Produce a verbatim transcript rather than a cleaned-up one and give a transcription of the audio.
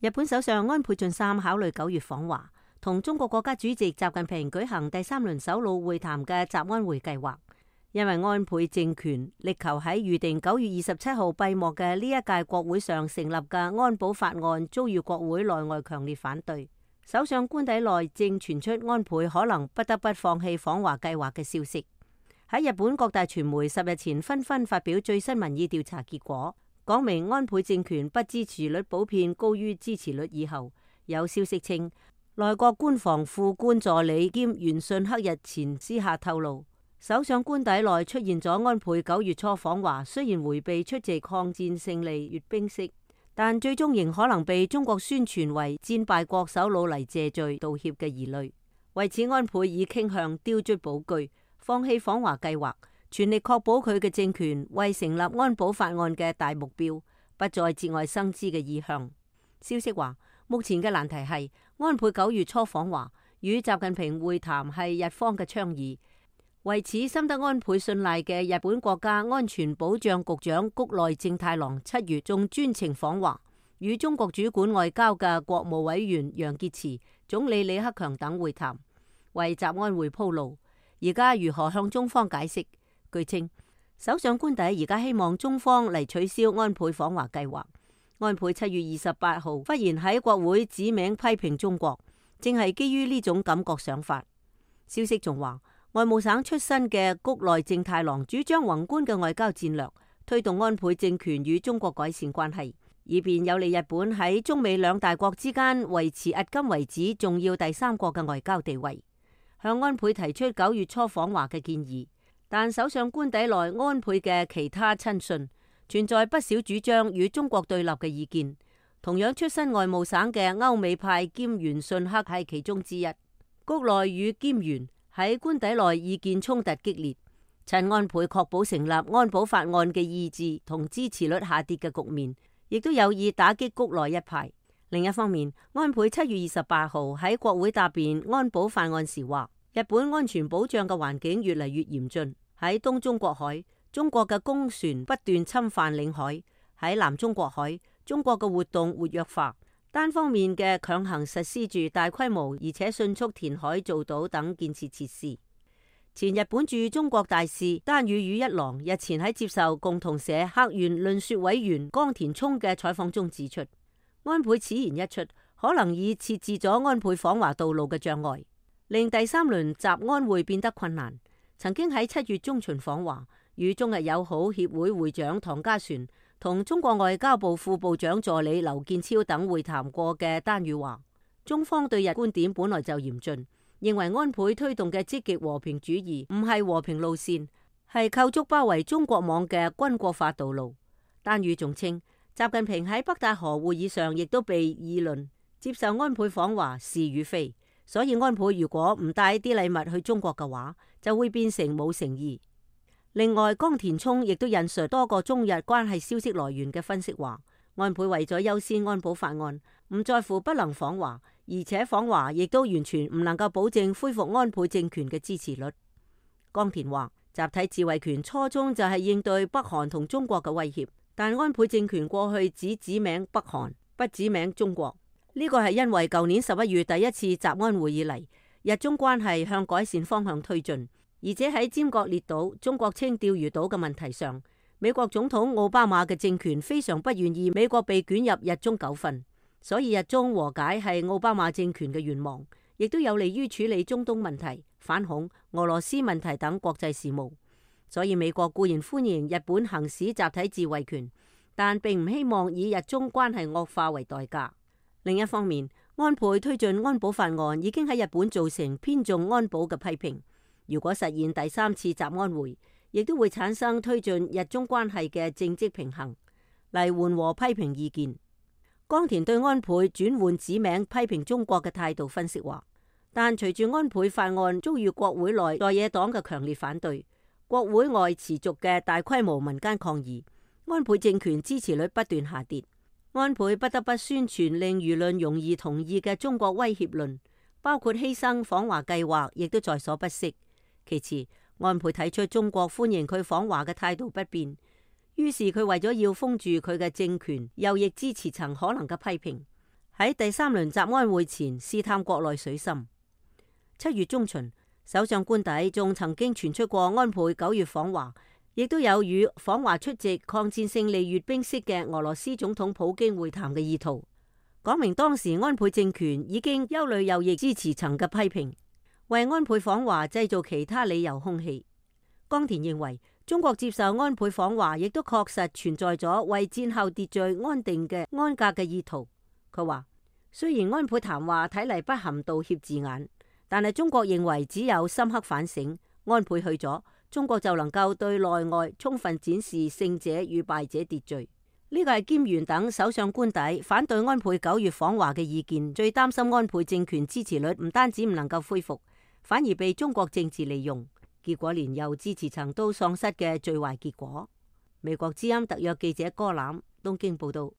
日本首相安倍晉三考慮九月訪華，同中國國家主席習近平舉行第三輪首腦會談嘅習安會計劃。因為安倍政權力求喺預定九月二十七號閉幕嘅呢一屆國會上成立嘅安保法案遭遇國會內外強烈反對，首相官邸內正傳出安倍可能不得不放棄訪華計劃嘅消息。喺日本各大傳媒十日前紛紛發表最新民意調查結果，講明安倍政權不支持率普遍高於支持率以後，有消息稱內閣官房副官助理兼原信克日前私下透露，首相官邸內出現咗安倍九月初訪華，雖然迴避出席抗戰勝利閱兵式，但最終仍可能被中國宣傳為戰敗國首腦嚟謝罪道歉嘅疑慮。為此，安倍已傾向丟卒保車，放棄訪華計劃，全力確保佢嘅政權為成立安保法案嘅大目標不再節外生枝嘅意向。消息話，目前嘅難題係安倍九月初訪華與習近平會談係日方嘅倡議。為此，深得安倍信賴嘅日本國家安全保障局長谷內正太郎七月仲專程訪華，與中國主管外交嘅國務委員楊潔篪、總理李克強等會談，為習安會鋪路。而家如何向中方解釋？據稱，首相官邸而家希望中方嚟取消安倍訪華計劃。安倍七月二十八號忽然喺國會指名批評中國，正係基於呢種感覺想法。消息仲話，外務省出身嘅谷內正太郎主張宏觀嘅外交戰略，推動安倍政權與中國改善關係，以便有利日本喺中美兩大國之間維持迄今為止重要第三國嘅外交地位。向安倍提出九月初訪華嘅建議，但首相官邸內安倍嘅其他親信存在不少主張與中國對立嘅意見。同樣出身外務省嘅歐美派兼原信克係其中之一。谷內與兼原喺官邸內意見衝突激烈，趁安倍確保成立安保法案嘅意志同支持率下跌嘅局面，亦都有意打擊谷內一派。另一方面，安倍七月二十八號喺國會答辯安保法案時話，日本安全保障嘅環境越嚟越嚴峻。喺東中國海，中國嘅公船不斷侵犯領海；喺南中國海，中國嘅活動活躍化，單方面嘅強行實施住大規模而且迅速填海造島等建設設施。前日本駐中國大使丹羽羽一郎日前喺接受共同社客員論說委員岡田聰嘅採訪中指出，安倍此言一出，可能已設置咗安倍訪華道路嘅障礙，令第三輪習安會變得困難。曾經喺七月中旬訪華，與中日友好協會會長唐家璇同中國外交部副部長助理劉建超等會談過嘅丹羽話，中方對日觀點本來就嚴峻，認為安倍推動嘅積極和平主義唔係和平路線，係構築包圍中國網嘅軍國化道路。丹羽仲稱，習近平喺北戴河會議上亦都被議論接受安倍訪華是與非，所以安倍如果唔帶啲禮物去中國嘅話，就會變成冇誠意。另外，岡田聰亦都引述多個中日關係消息來源嘅分析話，安倍為咗優先安保法案，唔在乎不能訪華，而且訪華亦都完全唔能夠保證恢復安倍政權嘅支持率。岡田話，集體自衛權初衷就係應對北韓同中國嘅威脅。但安倍政權過去只指名北韓，不指名中國，呢個係因為舊年十一月第一次習安會以嚟，日中關係向改善方向推進，而且喺尖閣列島、中國稱釣魚島嘅問題上，美國總統奧巴馬嘅政權非常不願意美國被捲入日中糾紛，所以日中和解係奧巴馬政權嘅願望，亦都有利於處理中東問題、反恐、俄羅斯問題等國際事務。所以美國固然歡迎日本行使集體自衛權，但並唔希望以日中關係惡化為代價。另一方面，安倍推進安保法案已經喺日本造成偏重安保嘅批評。如果實現第三次習安會，亦都會產生推進日中關係嘅政績平衡，嚟緩和批評意見。岡田對安倍轉換指名批評中國嘅態度分析話，但隨住安倍法案遭遇國會內在野黨嘅強烈反對，國會外持續嘅大規模民間抗議，安倍政權支持率不斷下跌，安倍不得不宣傳令輿論容易同意嘅中國威脅論，包括犧牲訪華計劃，亦都在所不惜。其次，安倍睇出中國歡迎佢訪華嘅態度不變，於是佢為咗要封住佢嘅政權右翼支持層可能嘅批評，喺第三輪集安會前試探國內水深。七月中旬，首相官邸仲曾經傳出過安倍九月訪華，亦都有與訪華出席抗戰勝利閱兵式嘅俄羅斯總統普京會談嘅意圖，講明當時安倍政權已經憂慮右翼支持層嘅批評，為安倍訪華製造其他理由空氣。岡田認為，中國接受安倍訪華，亦都確實存在咗為戰後秩序安定嘅安格嘅意圖。佢話，雖然安倍談話睇嚟不含道歉字眼，但係中國認為只有深刻反省，安倍去咗，中國就能夠對內外充分展示勝者與敗者秩序。呢個係菅原等首相官邸反對安倍九月訪華嘅意見，最擔心安倍政權支持率唔單止唔能夠恢復，反而被中國政治利用，結果連右支持層都喪失嘅最壞結果。美國之音特約記者柯欖東京報道。